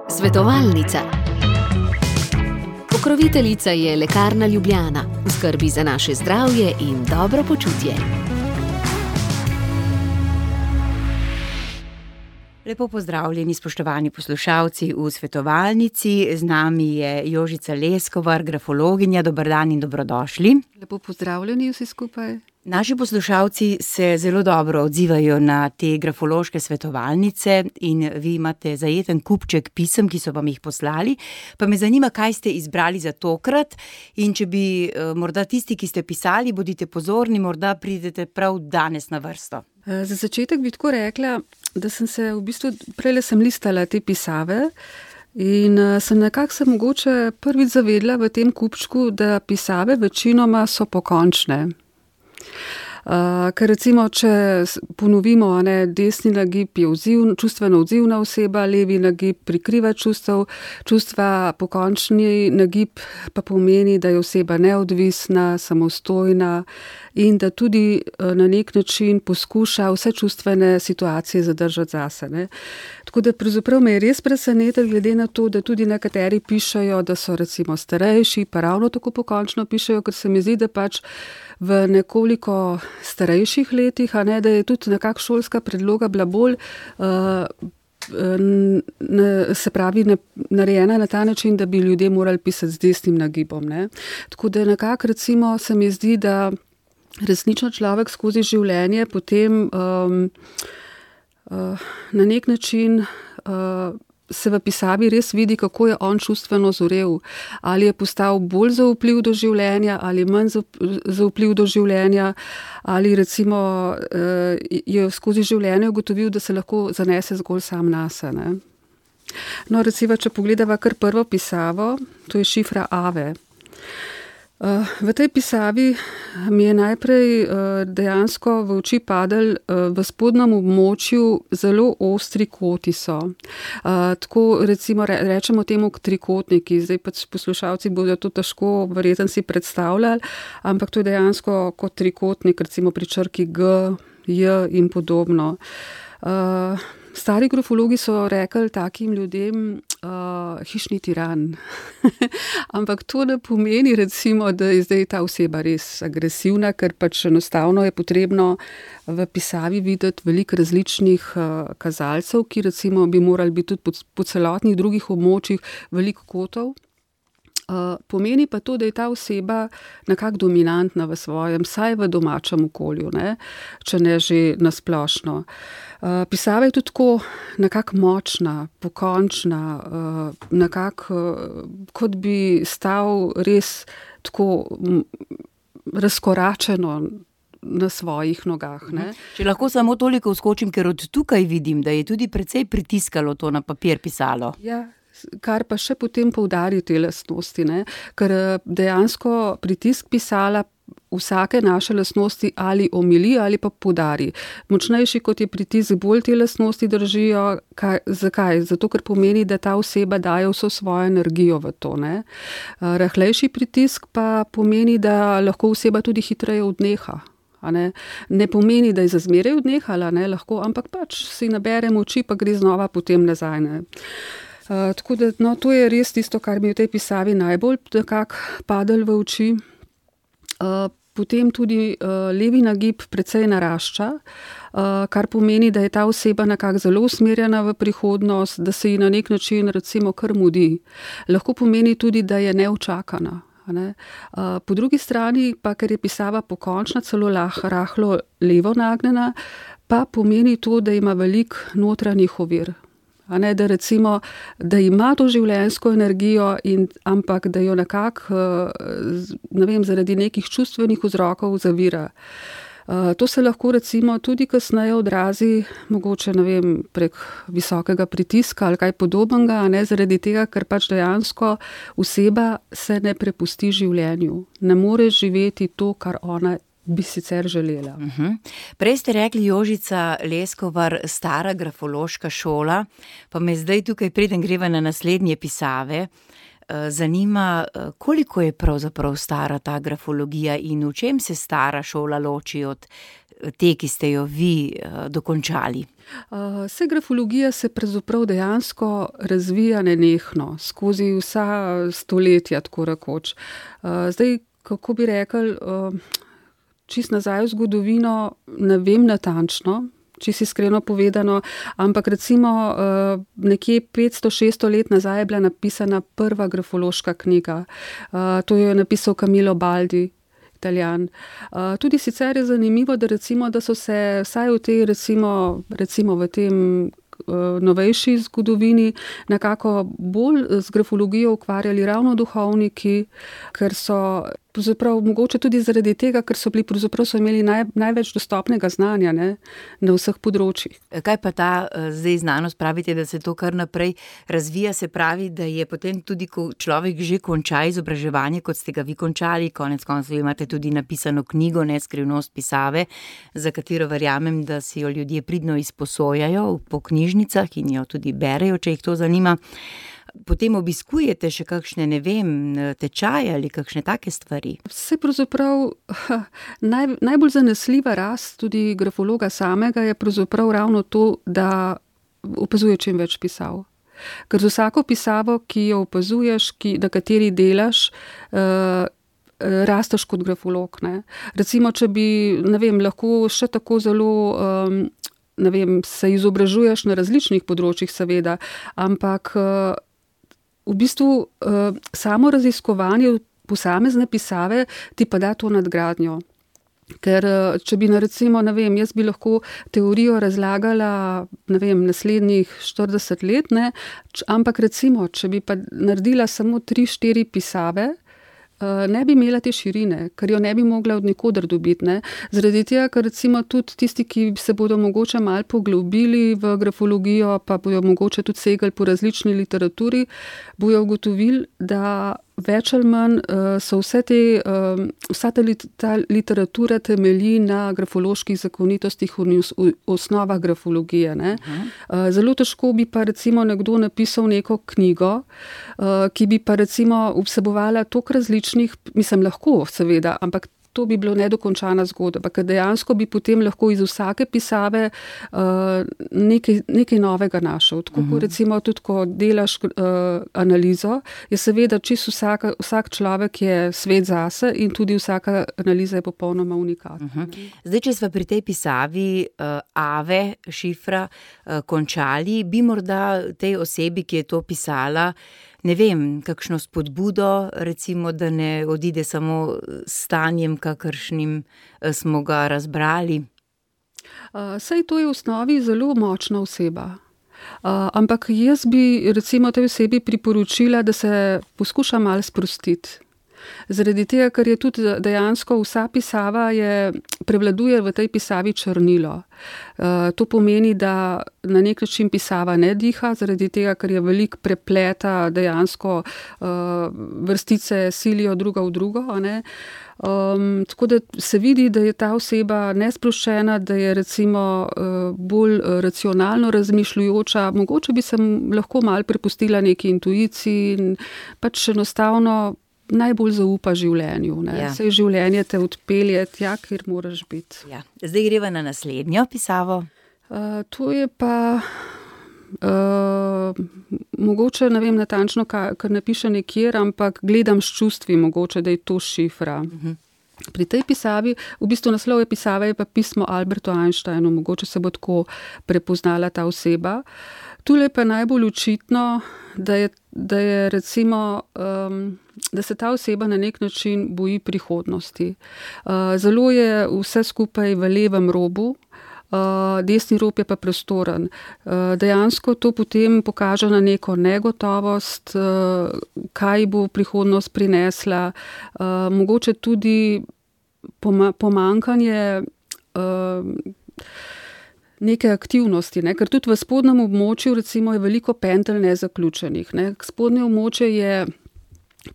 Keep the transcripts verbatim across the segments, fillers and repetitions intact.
Svetovalnica. Pokroviteljica je Lekarna Ljubljana, v skrbi za naše zdravje in dobro počutje. Lepo pozdravljeni, spoštovani poslušalci v svetovalnici. Z nami je Jožica Leskovar, grafologinja. Dober dan in dobrodošli. Lepo pozdravljeni vsi skupaj. Naši poslušalci se zelo dobro odzivajo na te grafološke svetovalnice in vi imate zajeten kupček pisem, ki so vam jih poslali. Pa me zanima, kaj ste izbrali za tokrat in če bi morda tisti, ki ste pisali, bodite pozorni, morda pridete prav danes na vrsto. Za začetek bi tako rekla, da sem se v bistvu, prejle sem listala te pisave in sem nekako se mogoče prvič zavedla v tem kupčku, da pisave večinoma so pokončne. Uh, ker recimo, če ponovimo, ne, desni nagib je odziv, čustveno odzivna oseba, levi nagib prikriva čustev, čustva pokončni nagib pa pomeni, da je oseba neodvisna, samostojna in da tudi na nek način poskuša vse čustvene situacije zadržati zase. Ne. Tako da pravzaprav me je res presenetilo, glede na to, da tudi nekateri pišejo, da so recimo starejši, pa ravno tako pokončno pišejo, ker se mi zdi, da pač v nekoliko starejših letih, a ne, da je tudi nekak šolska predloga bila bolj, uh, ne, se pravi, ne, narejena na ta način, da bi ljudje morali pisati z desnim nagibom. Ne. Tako da nekako recimo se mi zdi, da resnično človek skozi življenje potem um, uh, na nek način uh, se v pisavi res vidi, kako je on čustveno zorel. Ali je postal bolj zaupljiv do življenja, ali manj zaupljiv do življenja, ali recimo je skozi življenje ugotovil, da se lahko zanese zgolj sam nase. Ne? No, recimo, če pogledava kar prvo pisavo, to je šifra Ave. V tej pisavi mi je najprej dejansko v oči padel v spodnjem območju zelo ostri koti so. Tako recimo rečemo temu trikotniki, zdaj pač poslušalci bodo to težko verjetno si predstavljali, ampak to je dejansko kot trikotnik, recimo pri črki G, J in podobno. Stari grafologi so rekli takim ljudem uh, hišni tiran. Ampak to ne pomeni recimo, da je zdaj ta oseba res agresivna, ker pač enostavno je potrebno v pisavi videti veliko različnih uh, kazalcev, ki recimo bi morali biti tudi po, po celotnih drugih območjih veliko kotov. Uh, pomeni pa to, da je ta oseba nekako dominantna v svojem, saj v domačem okolju, ne? Če ne že nasplošno. Uh, pisava je tudi tako nekako močna, pokončna, uh, nekako uh, kot bi stal res tako m, razkoračeno na svojih nogah. Ne? Če lahko samo toliko vskočim, ker od tukaj vidim, da je tudi precej pritiskalo to na papir pisalo. Ja. Kar pa še potem poudari te lastnosti, ne? Ker dejansko pritisk pisala vsake naše lastnosti ali omili ali pa poudari. Močnejši kot je pritisk, bolj te lastnosti držijo. Kaj, zakaj? Zato, ker pomeni, da ta oseba daje vso svojo energijo v to. Ne? Rahlejši pritisk pa pomeni, da lahko oseba tudi hitreje odneha. Ne? ne pomeni, da je za zmeraj odnehala, ne? Lahko, ampak pač si nabere moči, pa gre znova potem nazaj. Ne? Uh, tako da, no, to je res tisto, kar mi v tej pisavi najbolj nekako padel v oči. Uh, potem tudi uh, levi nagib precej narašča, uh, kar pomeni, da je ta oseba nekako zelo usmerjena v prihodnost, da se ji na nek način recimo kar mudi. Lahko pomeni tudi, da je neučakana. Ne? Uh, po drugi strani pa, ker je pisava pokončna, celo lah, rahlo levo nagnjena, pa pomeni to, da ima veliko notranjih ovir. A ne, da recimo, da ima to življenjsko energijo, in, ampak da jo nekako, ne vem, zaradi nekih čustvenih vzrokov zavira. To se lahko recimo tudi kasneje odrazi, mogoče, ne vem, prek visokega pritiska ali kaj podobnega, a ne, zaradi tega, ker pač dejansko oseba se ne prepusti življenju. Ne more živeti to, kar ona bi sicer želela. Uh-huh. Prej ste rekli, Jožica Leskovar, stara grafološka šola, pa me zdaj tukaj, preden greva na naslednje pisave, zanima, koliko je pravzaprav stara ta grafologija in v čem se stara šola loči od te, ki ste jo vi dokončali? Vse grafologija se pravzaprav dejansko razvija nenehno, skozi vsa stoletja, tako rekoč. Zdaj, kako bi rekel, čist nazaj v zgodovino ne vem natančno, čisto iskreno povedano, ampak recimo nekje petsto šeststo let nazaj je bila napisana prva grafološka knjiga. To jo je napisal Camillo Baldi, Italijan. Tudi sicer je zanimivo, da recimo, da so se vsaj v tej recimo, recimo v tem novejši zgodovini nekako bolj z grafologijo ukvarjali ravno duhovniki, ker so pravzaprav mogoče tudi zaradi tega, ker so bili pravzaprav so imeli naj, največ dostopnega znanja, ne, na vseh področjih. Kaj pa ta zdaj znanost, pravite, da se to kar naprej razvija, se pravi, da je potem tudi, ko človek že konča izobraževanje, kot ste ga vi končali, konec koncev imate tudi napisano knjigo, ne, Skrivnost pisave, za katero verjamem, da si jo ljudje pridno izposojajo po knjižnicah in jo tudi berejo, če jih to zanima. Potem obiskujete še kakšne, ne vem, tečaje ali kakšne take stvari? Vse pravzaprav naj, najbolj zanesljiva rast tudi grafologa samega je pravzaprav ravno to, da opazuje čim več pisav. Ker z vsako pisavo, ki jo opazuješ, ki, na kateri delaš, uh, rasteš kot grafolog, ne. Recimo, če bi, ne vem, lahko še tako zelo um, ne vem, se izobražuješ na različnih področjih, seveda, ampak uh, v bistvu uh, samo raziskovanje posamezne pisave ti pa da to nadgradnjo. Ker če bi, recimo, ne vem, jaz bi lahko teorijo razlagala, ne vem, naslednjih štirideset let, ne, ampak recimo, če bi pa naredila samo tri, štiri pisave, ne bi imela te širine, ker jo ne bi mogla od nikoder dobiti, ne. Zaradi tega, ker recimo tudi tisti, ki se bodo mogoče malo poglobili v grafologijo, pa bojo mogoče tudi segali po različni literaturi, bojo ugotovili, da več ali manj so vse te, vsa ta, ta literatura temelji na grafoloških zakonitostih in osnovah grafologije, ne. Uh-huh. Zelo težko bi pa recimo nekdo napisal neko knjigo, ki bi pa recimo vsebovala toliko različnih, mislim, lahko seveda, ampak to bi bilo nedokončana zgodba, ker dejansko bi potem lahko iz vsake pisave uh, nekaj, nekaj novega našel. Tako uh-huh. recimo tudi, ko delaš uh, analizo, je seveda čisto vsaka, vsak človek je svet zase in tudi vsaka analiza je popolnoma unikatna. Uh-huh. Zdaj, če sva pri tej pisavi uh, Ave, šifra, uh, končali, bi morda tej osebi, ki je to pisala, ne vem, kakšno spodbudo, recimo, da ne odide samo s stanjem, kakršnim smo ga razbrali? Uh, saj to je v osnovi zelo močna oseba. Uh, ampak jaz bi recimo tej osebi priporočila, da se poskuša malo sprostiti. Zaradi tega, ker je tudi dejansko vsa pisava je, prevladuje v tej pisavi črnilo. Uh, to pomeni, da na nek način pisava ne diha, zaradi tega, ker je veliko prepleta, dejansko uh, vrstice silijo druga v drugo, a ne. Um, tako da se vidi, da je ta oseba nesproščena, da je recimo uh, bolj racionalno razmišljujoča, mogoče bi se lahko malo prepustila neki intuiciji in pač enostavno najbolj zaupa življenju. Ne? Ja. Saj življenje te odpelje tja, kjer moraš biti. Ja. Zdaj greva na naslednjo pisavo. Uh, to je pa uh, mogoče, ne vem natančno, kar napiše nekjer, ampak gledam s čustvi mogoče, da je to šifra. Uh-huh. Pri tej pisavi, v bistvu naslov je pisave, je pa pismo Albertu Einsteinu, mogoče se bo tako prepoznala ta oseba. Tule pa najbolj očitno, da je, da je recimo, um, da se ta oseba na nek način boji prihodnosti. Uh, zelo je vse skupaj v levem robu, uh, desni rob je pa prostoren. Uh, dejansko to potem pokaže na neko negotovost, uh, kaj bo prihodnost prinesla, uh, mogoče tudi poma- pomankanje uh, neke aktivnosti, ne? Ker tudi v spodnjem območju recimo je veliko pentelj nezaključenih. Ne? Spodnje območje je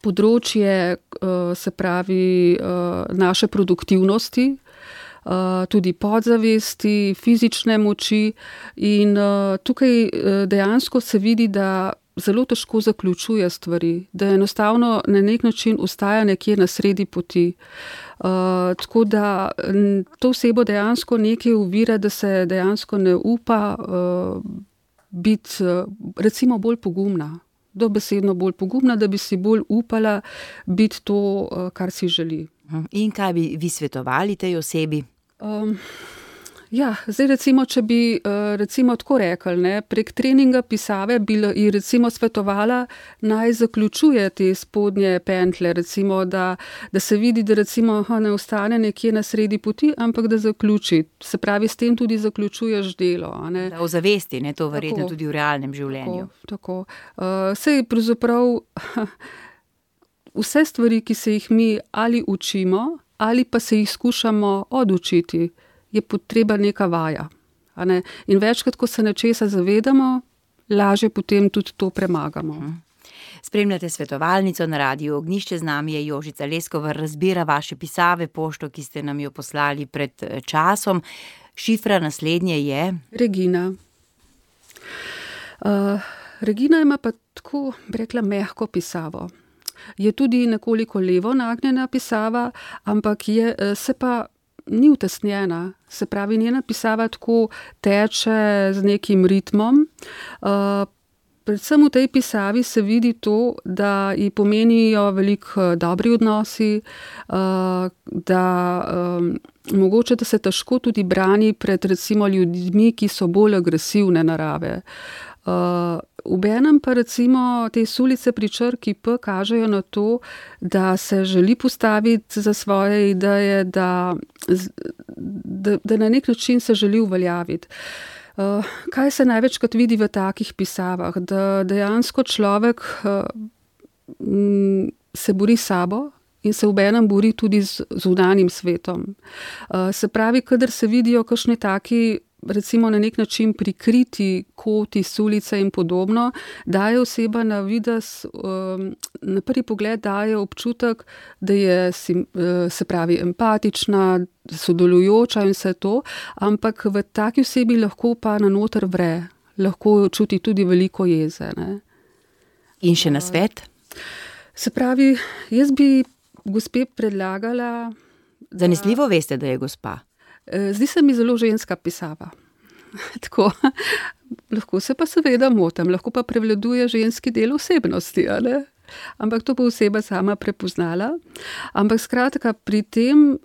področje, uh, se pravi, uh, naše produktivnosti, uh, tudi podzavesti, fizične moči in uh, tukaj uh, dejansko se vidi, da zelo težko zaključuje stvari, da enostavno na nek način ostaja nekje na sredi poti. Uh, tako da to osebo dejansko nekaj ovira, da se dejansko ne upa uh, biti uh, recimo bolj pogumna, dobesedno bolj pogumna, da bi si bolj upala biti to, uh, kar si želi. In kaj bi vi svetovali tej osebi? Um, Ja, zdaj recimo, če bi recimo tako rekli, ne, prek treninga pisave bi ji recimo svetovala, naj zaključuje te spodnje pentlje, recimo, da, da se vidi, da recimo aha, ne ostane nekje na sredi poti, ampak da zaključi. Se pravi, s tem tudi zaključuješ delo. A ne. Da ozavesti, ne, to verjetno tako, tudi v realnem življenju. Tako, tako. Uh, sej pravzaprav vse stvari, ki se jih mi ali učimo, ali pa se jih skušamo odučiti, je potreba neka vaja. A ne? In večkrat, ko se nečesa zavedamo, lažje potem tudi to premagamo. Spremljate svetovalnico na Radiu Ognjišče, z nami je Jožica Leskovar, razbira vaše pisave, pošto, ki ste nam jo poslali pred časom. Šifra naslednje je? Regina. Uh, Regina ima pa tako, bi rekla, mehko pisavo. Je tudi nekoliko levo nagnjena pisava, ampak je, se pa ni utesnjena, se pravi, njena pisava tako teče z nekim ritmom. Uh, predvsem v tej pisavi se vidi to, da ji pomenijo veliko dobri odnosi, uh, da um, mogoče, da se težko tudi brani pred recimo ljudmi, ki so bolj agresivne narave. Uh, Obenem pa recimo te sulice pri črki P kažejo na to, da se želi postaviti za svoje ideje, da, da, da na nek način se želi uveljaviti. Uh, kaj se največkrat vidi v takih pisavah? Da dejansko človek uh, m, se bori s sabo in se obenem bori tudi z zunanjim svetom. Uh, se pravi, kadar se vidijo kakšni taki recimo na nek način prikriti koti, sulice in podobno, daje oseba na videz, um, na prvi pogled daje občutek, da je se pravi empatična, sodelujoča in vse to, ampak v taki osebi lahko pa na noter vre, lahko čuti tudi veliko jeze. Ne? In še na svet? Se pravi, jaz bi gospe predlagala... Zanesljivo veste, da je gospa? Zdi se mi zelo ženska pisava. Tako, lahko se pa seveda motim, lahko pa prevladuje ženski del osebnosti, ali? Ampak to bo oseba sama prepoznala. Ampak skratka, pri, tem,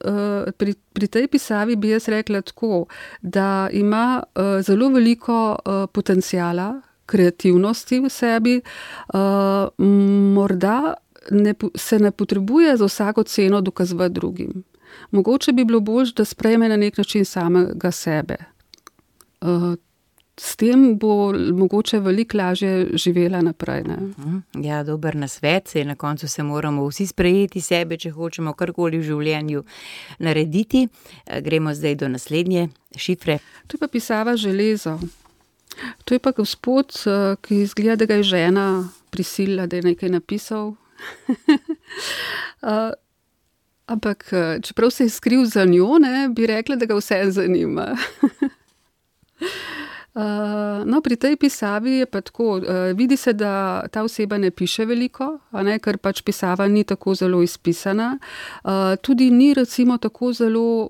pri, pri tej pisavi bi jaz rekla tako, da ima zelo veliko potenciala, kreativnosti v sebi, morda ne, se ne potrebuje za vsako ceno dokazovati drugim. Mogoče bi bilo bolj, da sprejme na nek način samega sebe. S tem bo mogoče veliko lažje živela naprej. Ne? Ja, dober nasvet, saj na koncu se moramo vsi sprejeti sebe, če hočemo karkoli v življenju narediti. Gremo zdaj do naslednje šifre. To je pa pisava železo. To je pa gospod, ki izgleda, da ga je žena prisilila, da je nekaj napisal. Ampak, čeprav se je skril za njo, ne, bi rekla, da ga vse zanima. uh, no, pri tej pisavi je pa tako, uh, vidi se, da ta oseba ne piše veliko, a ne, ker pač pisava ni tako zelo izpisana. Uh, tudi ni recimo tako zelo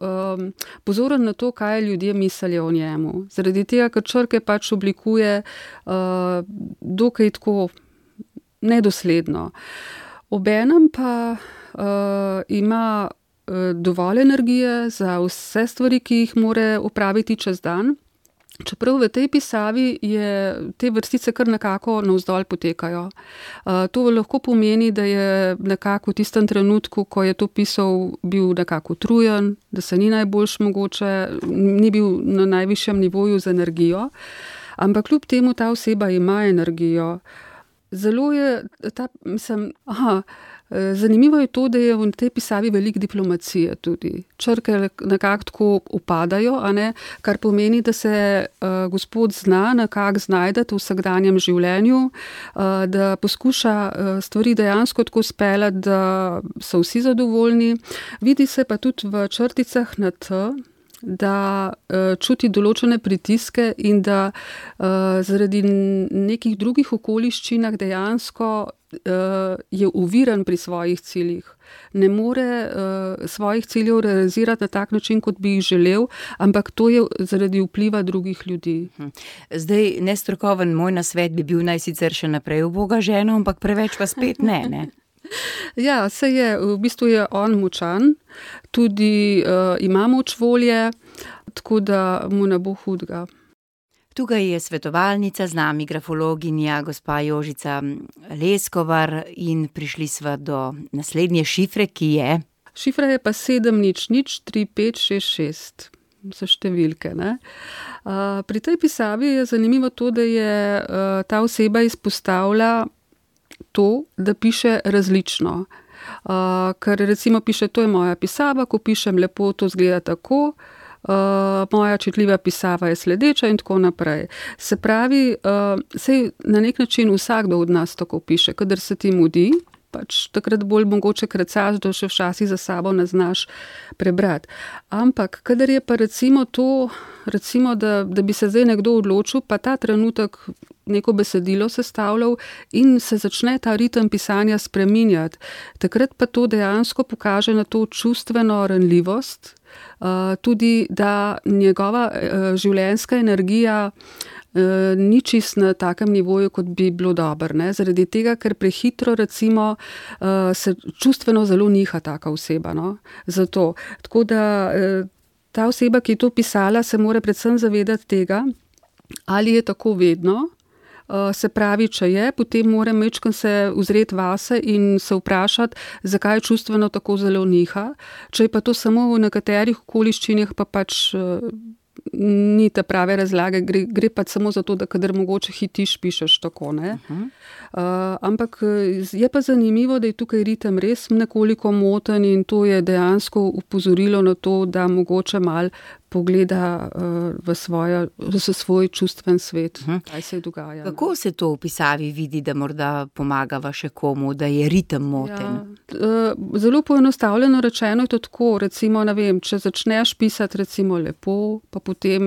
um, pozoren na to, kaj ljudje mislijo o njemu. Zaradi tega, ker črke pač oblikuje uh, dokaj tako nedosledno. Obenem pa Uh, ima uh, dovolj energije za vse stvari, ki jih more opraviti čez dan. Čeprav v tej pisavi je te vrstice kar nekako navzdol potekajo. Uh, to lahko pomeni, da je nekako v tistem trenutku, ko je to pisal, bil nekako utrujen, da se ni najboljš mogoče, ni bil na najvišjem nivoju z energijo. Ampak kljub temu ta oseba ima energijo. Zelo je ta, mislim, aha, zanimivo je to, da je v tej pisavi veliko diplomacije tudi. Črke nekako tako upadajo, a ne, kar pomeni, da se uh, gospod zna nekako znajdati v vsakdanjem življenju, uh, da poskuša uh, stvari dejansko tako speljati, da so vsi zadovoljni. Vidi se pa tudi v črticah na T, da uh, čuti določene pritiske in da uh, zaradi nekih drugih okoliščinah dejansko uh, je oviran pri svojih ciljih. Ne more uh, svojih ciljev realizirati na tak način, kot bi jih želel, ampak to je zaradi vpliva drugih ljudi. Zdaj, nestrokoven moj nasvet bi bil naj sicer še naprej uboga ženo, ampak preveč pa spet ne, ne? Ja, se je, v bistvu je on močan, tudi uh, ima moč volje, tako da mu ne bo hudega. Tukaj je svetovalnica, z nami grafologinja, gospa Jožica Leskovar in prišli sva do naslednje šifre, ki je... Šifra je pa sedem nič nič tri pet šest šest. So številke, ne? Uh, pri tej pisavi je zanimivo to, da je uh, ta oseba izpostavlja to, da piše različno. Uh, ker recimo piše, to je moja pisava, ko pišem lepo, to zgleda tako, Uh, moja čitljiva pisava je sledeča in tako naprej. Se pravi, uh, sej na nek način vsakdo od nas tako piše, kadar se ti mudi, pač takrat bolj mogoče krecaš, da še včasih za sabo ne znaš prebrati. Ampak, kadar je pa recimo to, recimo, da, da bi se zdaj nekdo odločil, pa ta trenutek neko besedilo sestavljal in se začne ta ritem pisanja spreminjati, takrat pa to dejansko pokaže na to čustveno ranljivost, Uh, tudi, da njegova uh, življenjska energija uh, ni čist na takem nivoju, kot bi bilo dobro, ne? Zaradi tega, ker prehitro recimo uh, se čustveno zelo niha taka oseba, no? Zato, tako da uh, ta oseba, ki je to pisala, se mora predvsem zavedati tega, ali je tako vedno. Uh, se pravi, če je, potem mora majčkeno se ozreti vase in se vprašati, zakaj čustveno tako zelo niha. Če je pa to samo v nekaterih okoliščinah, pa pač uh, ni te prave razlage, gre, gre pa samo za to, da kadar mogoče hitiš, pišeš tako, ne. Uh-huh. Uh, ampak je pa zanimivo, da je tukaj ritem res nekoliko moten in to je dejansko upozorilo na to, da mogoče mal pogleda uh, v, svojo, v svoj čustven svet, uh-huh. kaj se dogaja. Kako se to v pisavi vidi, da morda pomagava še komu, da je ritem moten? Ja, uh, zelo poenostavljeno rečeno je to tako, recimo, ne vem, če začneš pisati recimo lepo, pa potem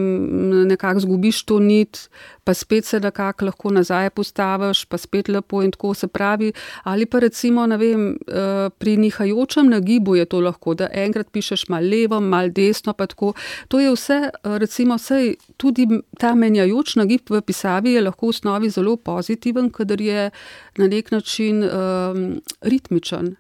nekako zgubiš to nit, pa spet se nekako lahko nazaj postaviš, pa spet lepo in tako se pravi, ali pa recimo, ne vem, uh, pri nihajočem nagibu je to lahko, da enkrat pišeš mal levo, mal desno, pa tako. To je vse, recimo, sej, tudi ta menjajoč nagib v pisavi je lahko v osnovi zelo pozitiven, kadar je na nek način um, ritmičen.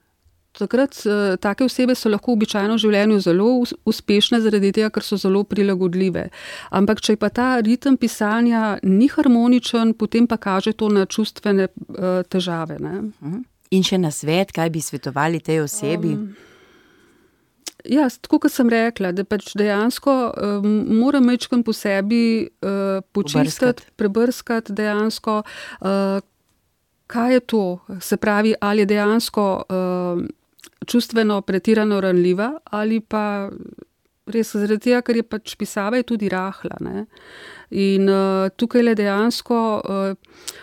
Takrat uh, take osebe so lahko običajno v življenju zelo uspešne zaradi tega, ker so zelo prilagodljive. Ampak, če pa ta ritem pisanja ni harmoničen, potem pa kaže to na čustvene uh, težave, ne? In še nasvet, kaj bi svetovali tej osebi? Um, Ja, tako kot sem rekla, da pač dejansko um, mora majčkeno po sebi uh, počistiti, prebrskati dejansko, uh, kaj je to, se pravi, ali je dejansko uh, čustveno pretirano ranljiva ali pa res zaradi tega, ker je pač pisava je tudi rahla, ne. In uh, tukaj le dejansko uh,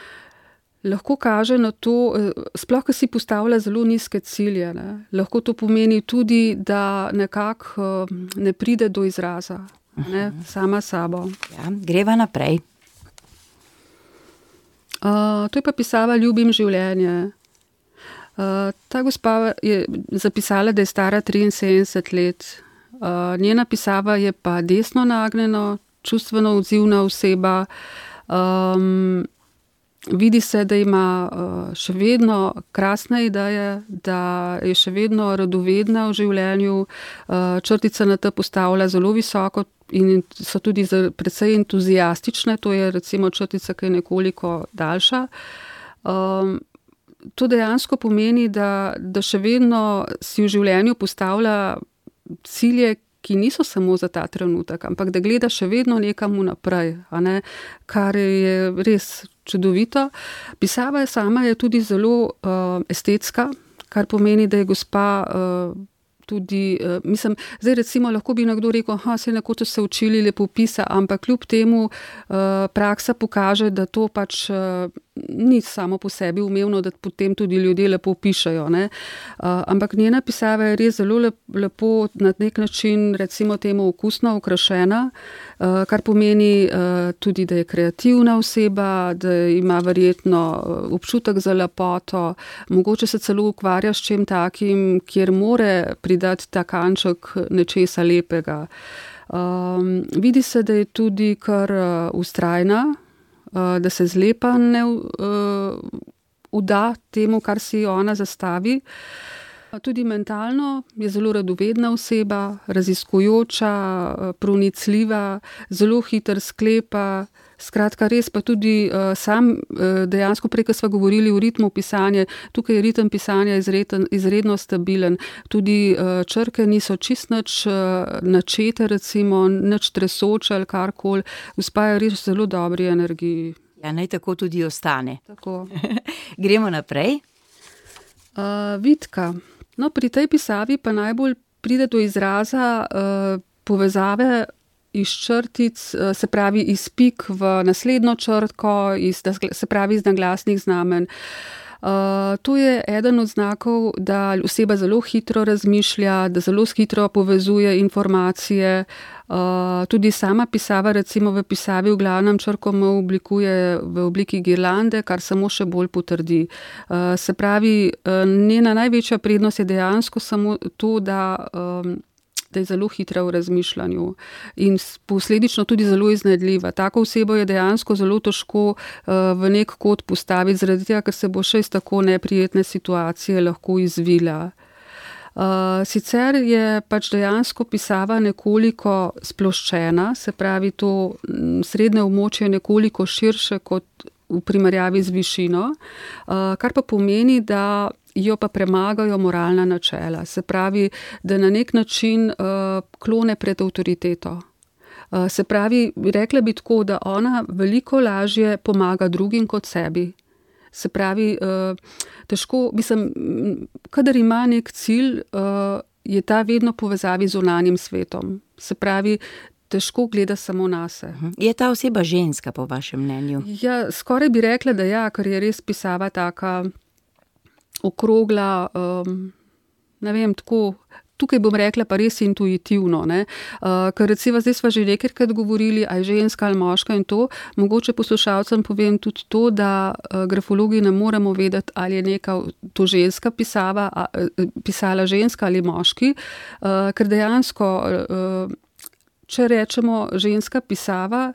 lahko kaže na to, sploh, ko si postavlja zelo nizke cilje, ne? Lahko to pomeni tudi, da nekako ne pride do izraza, ne? Sama sabo. Ja, greva naprej. Uh, to je pa pisava Ljubim življenje. Uh, ta gospa je zapisala, da je stara triinsedemdeset let. Uh, njena pisava je pa desno nagnjeno, čustveno odzivna oseba. Um, Vidi se, da ima uh, še vedno krasne ideje, da je še vedno radovedna v življenju, uh, črtica na te postavlja zelo visoko in so tudi precej entuzijastične, to je recimo črtica, ki je nekoliko daljša. Um, to dejansko pomeni, da, da še vedno si v življenju postavlja cilje, ki niso samo za ta trenutek, ampak da gleda še vedno nekam naprej, a ne, kar je res čudovito. Pisava je sama je tudi zelo uh, estetska, kar pomeni, da je gospa uh, tudi, uh, mislim, zdaj recimo lahko bi nekdo rekel, ha, se nekoč se učili lepopisa, ampak kljub temu uh, praksa pokaže, da to pač uh, ni samo po sebi umevno, da potem tudi ljudje lepo pišejo, ne. Uh, ampak njena pisava je res zelo lep, lepo na nek način, recimo temu okusno okrašena, uh, kar pomeni uh, tudi, da je kreativna oseba, da ima verjetno občutek za lepoto, mogoče se celo ukvarja s čim takim, kjer more pridati ta kanček nečesa lepega. Um, vidi se, da je tudi kar uh, vztrajna, uh, da se zlepa ne uh, vda temu, kar si ona zastavi. Tudi mentalno je zelo radovedna oseba, raziskujoča, pronicljiva, zelo hiter sklepa. Skratka, res pa tudi uh, sam uh, dejansko prej, ko sva govorili o ritmu pisanja, tukaj je ritem pisanja izreden, izredno stabilen. Tudi uh, črke niso čist nič uh, načete, recimo, nič tresoče ali karkoli. Gospa je res zelo dobri energiji. Ja, naj tako tudi ostane. Tako. Gremo naprej. Uh, Vitka. No, pri tej pisavi pa najbolj pride do izraza uh, povezave iz črtic, se pravi iz pik v naslednjo črtko, iz, se pravi iz naglasnih znamen. Uh, to je eden od znakov, da oseba zelo hitro razmišlja, da zelo hitro povezuje informacije. Uh, tudi sama pisava, recimo v pisavi v glavnem črko M oblikuje v obliki girlande, kar samo še bolj potrdi. Uh, se pravi, uh, njena največja prednost je dejansko samo to, da um, da je zelo hitra v razmišljanju in posledično tudi zelo iznajdljiva. Tako osebo je dejansko zelo težko uh, v nek kot postaviti, zaradi tega, ker se bo še iz tako neprijetne situacije lahko izvila. Uh, sicer je pač dejansko pisava nekoliko sploščena, se pravi to srednje območje je nekoliko širše kot v primerjavi z višino, uh, kar pa pomeni, da jo pa premagajo moralna načela. Se pravi, da na nek način uh, klone pred avtoriteto. Uh, se pravi, rekla bi tako, da ona veliko lažje pomaga drugim kot sebi. Se pravi, uh, težko, mislim, kadar ima nek cilj, uh, je ta vedno povezavi z zunanjim svetom. Se pravi, težko gleda samo nase. Je ta oseba ženska, po vašem mnenju? Ja, skoraj bi rekla, da ja, ker je res pisava taka okrogla, um, ne vem, tako, tukaj bom rekla pa res intuitivno, ne, uh, ker recimo zdaj sva že nekajkrat govorili, a je ženska ali moška in to, mogoče poslušalcem povem tudi to, da uh, grafologi ne moremo vedeti, ali je neka to ženska pisava, a, uh, pisala ženska ali moški, uh, ker dejansko, uh, če rečemo ženska pisava,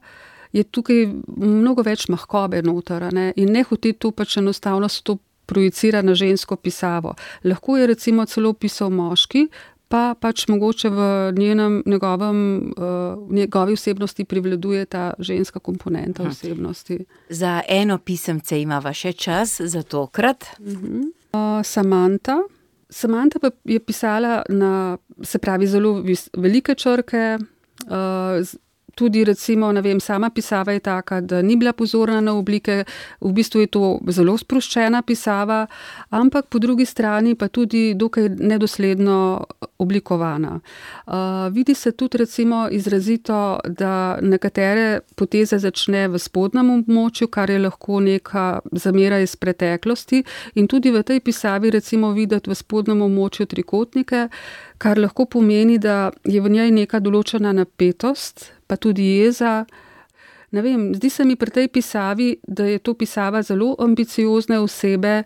je tukaj mnogo več mahkobe noter, ne, in ne hoti to pač enostavno s to projicira na žensko pisavo. Lahko je recimo celo pisal moški, pa pač mogoče v njenem, njegovem, uh, njegovi osebnosti privladuje ta ženska komponenta osebnosti. Za eno pisemce imava še čas za tokrat. Uh-huh. Uh, Samantha. Samantha pa je pisala na, se pravi, zelo vis, velike črke, uh, tudi recimo, ne vem, sama pisava je taka, da ni bila pozorna na oblike, v bistvu je to zelo sproščena pisava, ampak po drugi strani pa tudi dokaj nedosledno oblikovana. Uh, vidi se tudi recimo izrazito, da nekatere poteze začne v spodnjem območju, kar je lahko neka zamera iz preteklosti, in tudi v tej pisavi recimo videti v spodnjem območju trikotnike, kar lahko pomeni, da je v njej neka določena napetost, pa tudi jeza. Ne vem, zdi se mi pri tej pisavi, da je to pisava zelo ambiciozne osebe,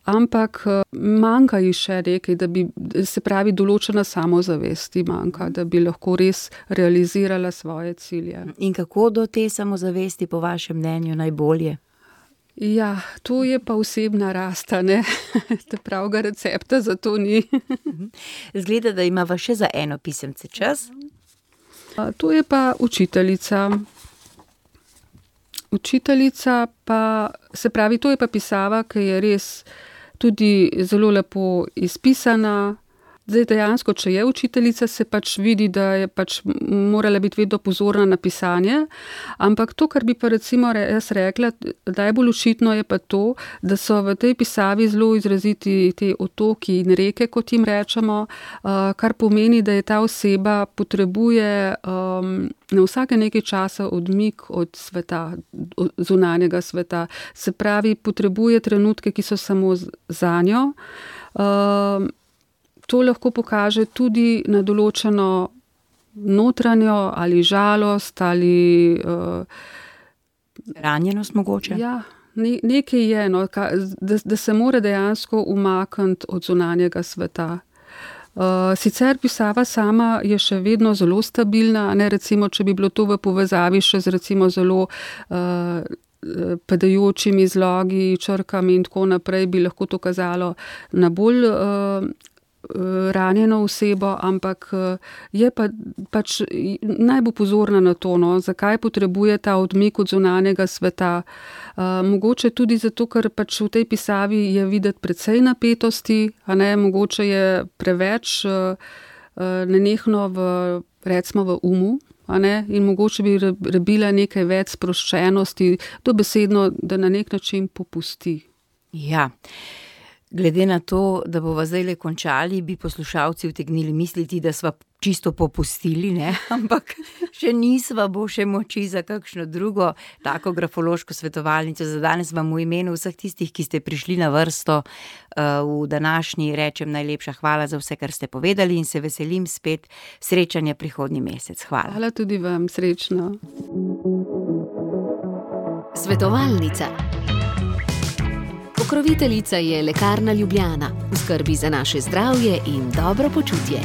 ampak manjka ji še nekaj, da bi, se pravi, določena samozavesti manjka, da bi lahko res realizirala svoje cilje. In kako do te samozavesti po vašem mnenju najbolje? Ja, to je pa osebna rast, ne? Te pravega recepta za to ni. Zgleda, da imava še za eno pisemce čas. To je pa učiteljica. Učiteljica pa, se pravi, to je pa pisava, ki je res tudi zelo lepo izpisana, Zdaj dejansko, če je učiteljica, se pač vidi, da je pač morala biti vedno pozorna na pisanje, ampak to, kar bi pa recimo jaz rekla, najbolj očitno je pa to, da so v tej pisavi zelo izraziti te otoki in reke, kot jim rečemo, kar pomeni, da je ta oseba potrebuje um, na vsake nekaj časa odmik od sveta, od zunanjega sveta. Se pravi, potrebuje trenutke, ki so samo za njo. Um, to lahko pokaže tudi na določeno notranjo ali žalost ali uh, ranjenost mogoče. Ja, ne, nekaj je, no, ka, da, da se mora dejansko umakniti od zunanjega sveta. Uh, sicer pisava sama je še vedno zelo stabilna, ne, recimo, če bi bilo to v povezavi še z recimo zelo uh, padajočimi zlogi, črkami in tako naprej, bi lahko to kazalo na bolj uh, ranjeno osebo, ampak je pa, pač naj bo pozorna na to, no, zakaj potrebuje ta odmik od zunanjega sveta. Uh, mogoče tudi zato, ker pač v tej pisavi je videti precej napetosti, a ne, mogoče je preveč uh, nenehno v, recimo v umu, a ne, in mogoče bi rabila nekaj več sproščenosti, dobesedno, da na nek način popusti. Ja. Glede na to, da bova zdajle končali, bi poslušalci utegnili misliti, da sva čisto popustili, ne? Ampak še nisva, bo še moči za kakšno drugo tako grafološko svetovalnico. Za danes vam v imenu vseh tistih, ki ste prišli na vrsto v današnji, rečem najlepša hvala za vse, kar ste povedali in se veselim spet srečanja prihodnji mesec. Hvala. Hvala tudi vam, srečno. Svetovalnica. Pokroviteljica je Lekarna Ljubljana, v skrbi za naše zdravje in dobro počutje.